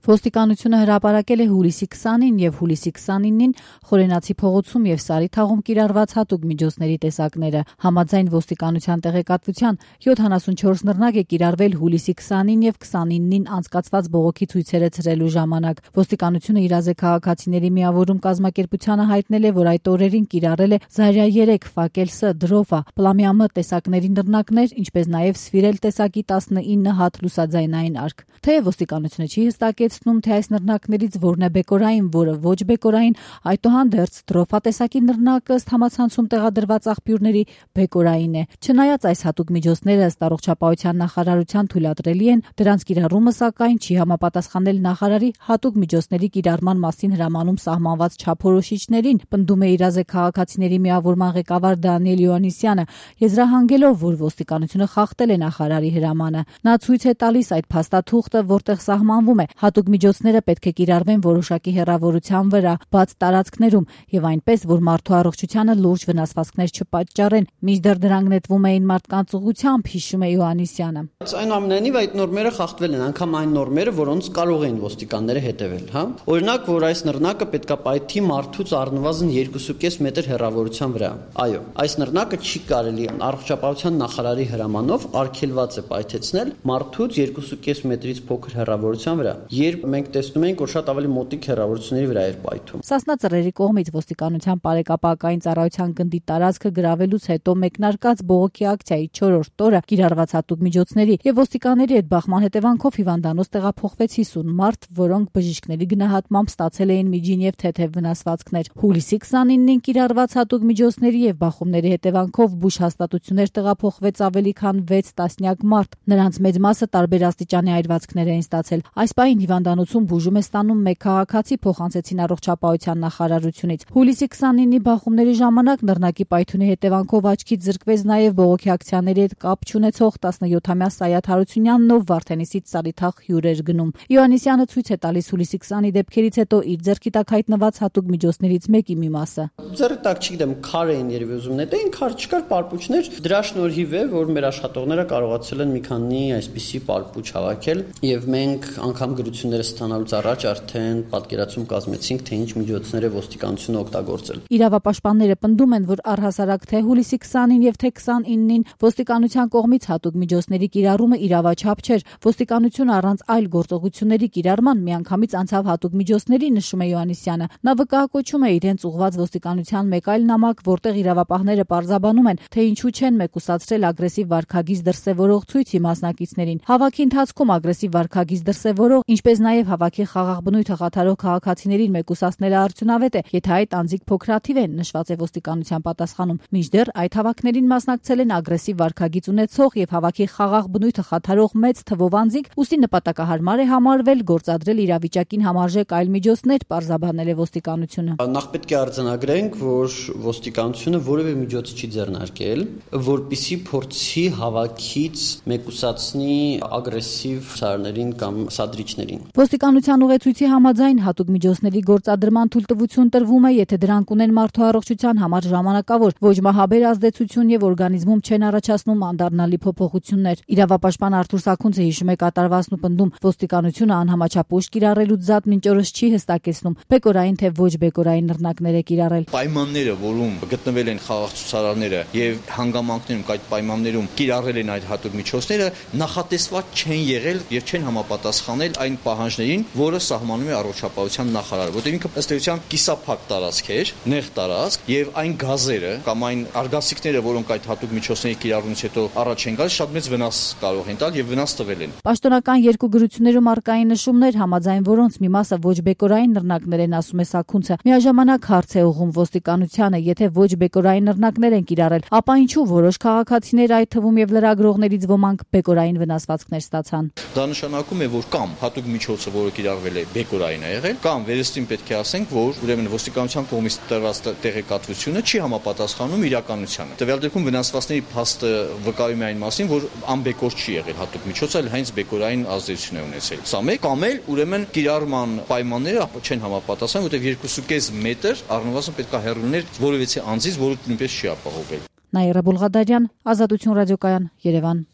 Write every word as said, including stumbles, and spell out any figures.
Ոստիկանությունը հրապարակել է հուլիսի քսանին և հուլիսի քսանինին Խորենացի փողոցում և Սարի թաղում կիրառված հատուկ միջոցների տեսակները։ Համաձայն ոստիկանության տեղեկատվության յոթանասունչորս նռնակ է կիրառվել հուլիսի քսանին և քսանինին անցկացված բողոքի ցույցերը ցրելու ժամանակ։ Ոստիկանությունը իրազ է քաղաքացիների միավորում կազմակերպությանը հայտնել է, որ այդ օրերին կիրառել է Զարյա երեք, Ֆակել Ս, Դրովա, Պլամյա Մ տեսակների նռնակներ, ինչպես նաև Սվիրել տեսակի տասնինը հատ լուսաձայնային արկ։ Թեև ոստիկանությունը չի հստակեցնում, թե այս նռնակներից որն է բեկորային, որը ոչ բեկորային, այդուհանդերձ Դրովա տեսակի նռնակը ըստ համացանցում տեղադրված աղբյուրների բեկորային է։ Չնայած այս հատուկ միջոցները ըստ առողջապահության նախարարության թույլատրելի են, դրանց կիրառումը սակայն չի համապատասխանել նախարարի հատուկ միջոցների կիրառման մասին հրամանում սահմանված չափորոշիչներին, պնդում է իրազ է քաղաքացիների միավորման ղեկավար Դանիել Յոհաննիսյանը, եզրահանգելով, որ ոստիկանությունը խախտել է նախարարի հրամանը։ Նա ցույց է տալիս այդ փաստաթուղթը, որտեղ սահմանվում է հատուկ միջոցները պետք է կիրառվեն որոշակի հեռավորության վրա, բաց տարածքներում եւ այնպես, որ մարդու առողջությանը լուրջ վնասվածքներ չպատճառեն, մինչդեռ դրանք նետվում էին մարդկանց ուղղությամբ, հիշում է Յոհաննիսյանը։ Այնուամենայնիվ այդ նորմերը խախտվել են, անգամ այն նորմերը, որոնց կարող էին ոստիկանները հետևել, հա։ Օրինակ, որ այս նռնակը պետքա պայթի մարդուց առնվազն երկու կես մետր հեռավորության վրա։ Այո, այս նռնակը չի կարելի առողջապահության նախարարի հրամանով արգելված է պայթեցնել մարդուց երկու կես մետրից փոքր հեռավորության վրա, երբ մենք տեսնում ենք, որ շատ ավելի մոտիկ հեռավորությունների վրա էր պայթում։ Սասնա Ծռերի կողմից ոստիկանության բարեկապակային ծառայության գնդի տարածքը գրավելուց հետո մեկնարկած բողոքի ակցիայի չորրորդ օրը կիրառված հատուկ միջոցների եւ ոստիկանների հետ բախման հետևանքով հիվանդանոց տեղափոխվեց հիսուն մարդ, որոնք բժիշկների գնահատմամբ ստացել էին միջին եւ թեթեւ վնասվածքներ։ Հուլիսի քսանինին կիրառված հատուկ միջոցների եւ բախումների հետևանքով բուժ հաստատություններ տեղափոխվեց ավելի քան վեց տասնյակ մարդ։ Նրանց մեծ մասը տարբեր աստիճանի այրվածքներ էին ստացել։ Այս պահին հիվանդանոցում բուժում է ստանում մեկ քաղաքացի, փոխանցեցին առողջապահության նախարարությունից։ Հուլիսի քսանինի բախումների ժամանակ նռնակի պայթյունի հետևանքով աչքից զրկվեց նաև բողոքի ակցիաների հետ կապ չունեցող տասնյոթամյա Սայաթ Հարությունյանն, ով Վարդենիսից Սարիթաղ հյուր էր գնում։ Յոհաննիսյանը ցույց է տալիս հուլիսի քսանի դեպքերից հետո իր ձեռքի տակ հայտնված հատուկ միջոցներից մեկի մի մասը։ Ձեռքի տակ, չգիտեմ, քար էին երևի ուզում նետեին, քար չկար, պարպուչներ, դրա շնորհիվ է, որ մեր աշխատողները կարողացել են մի քանի այսպիսի պարպուչ հավաքել եւ մենք անգամ գրությունները ստանալուց առաջ արդեն պատկերացում կազմեցինք, թե ինչ միջոցներ է ոստիկանությունը օգտագործել։ Իրավապաշտպանները պնդում են, որ առհասարակ թե հուլիսի քսանին եւ թե քսանինին ոստիկանության կողմից հատուկ միջոցների կիրառումը իրավաչափ չէր։ Ոստիկանությունը առանց այլ գործողությունների կիրառման միանգամից անցավ հատուկ միջոցների, նշում է Յոհաննիսյանը։ Նա վկայակոչում է իրենց ուղղված ոստիկանության մեկ այլ նամակ, որտեղ իրավապահները պարզաբանում են, թե ինչու չեն մեկուսացրել ագրեսիվ վարքագիծ դրսևորող ցույցի մասնակիցներին։ Հավաքի ընթացքում ագրեսիվ վարքագիծ դրսևորող, ինչպես նաև հավաքի խաղաղ բնույթը խաթարող քաղաքացիներին մեկուսացնելը արդյունավետ է, եթե այդ անձիկ փոքրաթիվ են, նշված է ոստիկանության պատասխանում։ Մինչդեռ այդ հավաքներին մասնակցել են ագրեսիվ վարքագիծ ունեցող եւ հավաքի խաղաղ բնույթը խաթարող մեծ թվով անձինք, ուստի նպատակահարմար է համարվել գործադրել իրավիճակին համարժեք այլ միջոցներ, պարզաբանել է ոստիկանությունը։ Նախ պետք է արձանագրենք, որ ոստիկանությունը որևէ միջոց չի ձեռնարկել, որպիսի փորձի հավաքից մեկուսացնի ագրեսիվ ցարներին կամ սադրիչներին։ Ոստիկանության ուղեցույցի համաձայն հատուկ միջոցների գործադրման թույլտվություն տրվում է, եթե դրանք ունեն մարդու առողջության համար ժամանակավոր, ոչ մահաբեր ազդեցություն եւ օրգանիզմում չեն առաջացնում անդառնալի փոփոխություններ։ Իրավապաշտպան Արթուր Սաքունցը հիշում է կատարվածն ու պնդում, ոստիկանությունը անհամաչափ ուժ կիրառելուց զատ մինչ օրս չի հստակեցնում բեկորային թե ոչ բեկորային նռնակներ է կիրառել։ Պայմանները, որում գտնվել են խաղաղ ցուցարարները եւ հանգամանքներում այդ պայմաններում կիրառել են այդ հատուկ միջոցները, նախատեսված չեն եղել եւ չեն համապատասխանել այն պահանջներին, որը սահմանում է առողջապահության նախարարը, որտեղ ինքը ըստ էության կիսափակ տարածք էր, նեղ տարածք եւ այն գազերը կամ այն արգասիքները, որոնք այդ հատուկ միջոցների կիրառումից հետո առաջ են գալիս, շատ մեծ վնաս կարող են տալ եւ վնաս տվել են։ Պաշտոնական երկու գրություններում առկային նշումներ, համաձայն որոնց մի մասը ոչ բեկորային նռնակներ են, ասում է Սաքունցը։ Միաժամանակ հարց է ուղղում ոստիկանությանը, եթե ոչ բեկորային նռնակներ են կիրառել, ապա ինչու որոշ քաղաքացիներ, այդ թվում եւ լրագրողներից ոմանք բեկորային վնասվածքներ ստացան։ Դա նշանակում է, որ կամ հատուկ միջոցը, որը կիրառվել է, բեկորային է եղել, կամ վերստին պետք է ասենք, որ ուրեմն ոստիկանության կողմից տրված տեղեկատվությունը չի համապատասխանում իրականությանը։ Տվյալ դեպքում վնասվածքների փաստը վկայում է այն մասին, որ անբեկոր չի եղել հատուկ միջոցը, այլ հենց բեկորային ազդեցություն է ունեցել։ Սա մեկ, կամ էլ ուրեմն կիրառման պայմանները չեն համապատասխանում, որտեղ երկու կես մետր առնվազն պետք է հեռու լինել որևիցե անձից, որը նույնպես չի ապահովել։ Նաիրա Բուլղադարյան, Ազատություն ռադիոկայան, Երևան։